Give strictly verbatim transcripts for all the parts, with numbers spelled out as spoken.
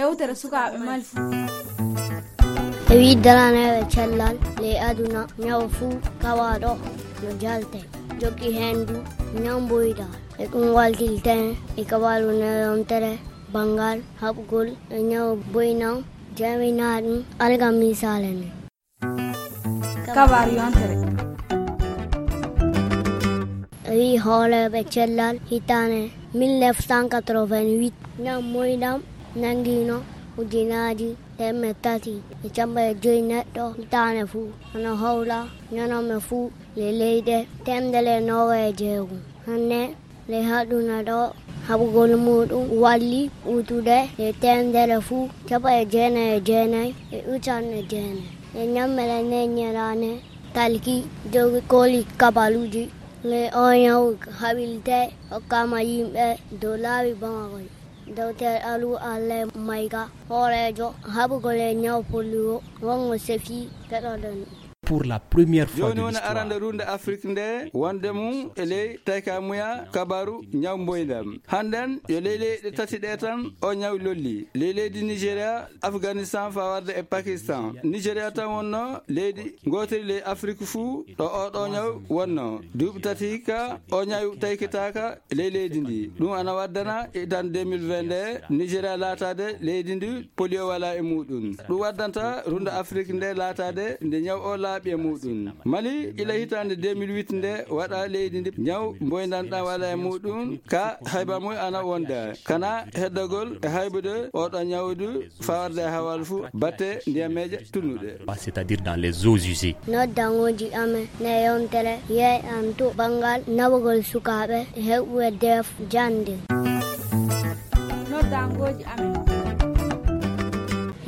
Yewtere sukaaɓe Mali fuu. E wii daraneeɓe cellal ley aduna, ñaw fuu kawaaɗo no jalte. Jokki heen du ñaw mboyda. E ɗum waltilten e kabaru nde yontere banngal haɓugol e ñaw boyna, jaaminaa ɗum alga misaale ne. Kabaru yontere. E wii hooreeɓe cellal hitaande mille neuf cent quatre-vingt-huit, ñaw moyɗam nanngiino ujunaaji teemedde tati e capanɗe joy neɗɗo hitaande fuu, hono hawla ñanooɓe fuu le leyɗe teemedere noogaye e jeego. Hannde le aduna ɗo, haɓugol muuɗum walli ɓuutude le teemedere fuu capanɗe jeenayi e jeenayi e ujunere jeenayi. E ñammere nde ñalaande talki jogi koli kabaruuji, le o ñaw haɓiltee hokkaama yimɓe dow laabi Bamako. Doktor Alu Allen Mayga, hooreejo haɓugol e ñaw polio, wongo sefi keɗoɗen. Pour la première fois de l'histoire. Jooni woni arande runde Afrik nde wonde mum e ley taykamuya kabaru ñaw mboyndam. Hannden yo ley leyɗe tati ɗe tan o ñaw lolli. Ley leydi Nigeria, Afghanistan faa warde e Pakistan. Nigeria tan wonno leydi ngootiri ley Afrik fuu ɗo oo ɗoo ñaw wonno. Duuɓi tati hikka o ñaw taykitaaka ley leydi ndi. Ɗum ana waddana hitaande deux mille vingt nde Nigeria laataade leydi ndi polio walaa e muuɗum. Ɗum waddanta runde Afrik nde laataade nde ñaw o laaɓi e muuɗum. Mali ila hitaande deux mille huit nde waɗa leydi ndi ñaw mboyndam ɗam walaa e muuɗum. Ka hayba mum ana wonda. Kana heddagol e haybude oo ɗoo ñaw du faa warde e hawal fuu batte ndiyameeje tunnuɗe. C'est-à-dire dans les eaux usées. Noddangooji amen nde yontere yeeƴan to banngal naɓugol sukaaɓe heɓuɓe deef jannde. Noddangooji amen.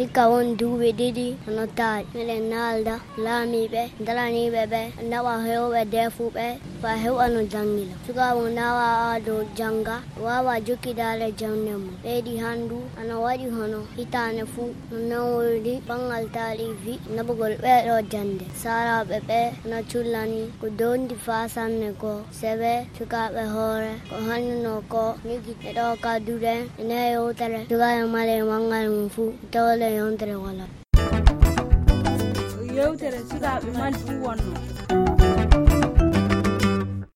Hikka won duuɓi ɗiɗi hono taari, miɗen naalda laamiiɓe daraniiɓe ɓe naɓa heewɓe deefuɓe faa heɓa no janngina. Sukaaɓe nawa ado jannga, waawa jokkidaade jannde mum. Ɓeydi hanndu ana waɗi hono hitaande fuu no nawori banngal taarifi naɓugol ɓee ɗoo jannde. Saaraaɓe ɓe ana cullani ko dondi faa sanne ko sebe sukaaɓe hoore ko hannduno ko miji e ɗoo kadduɗen e nde yewtere sukaaɓe Mali e banngal mum fuu tawde yontere wala. Yewtere sukaaɓe Mali fuu wonno.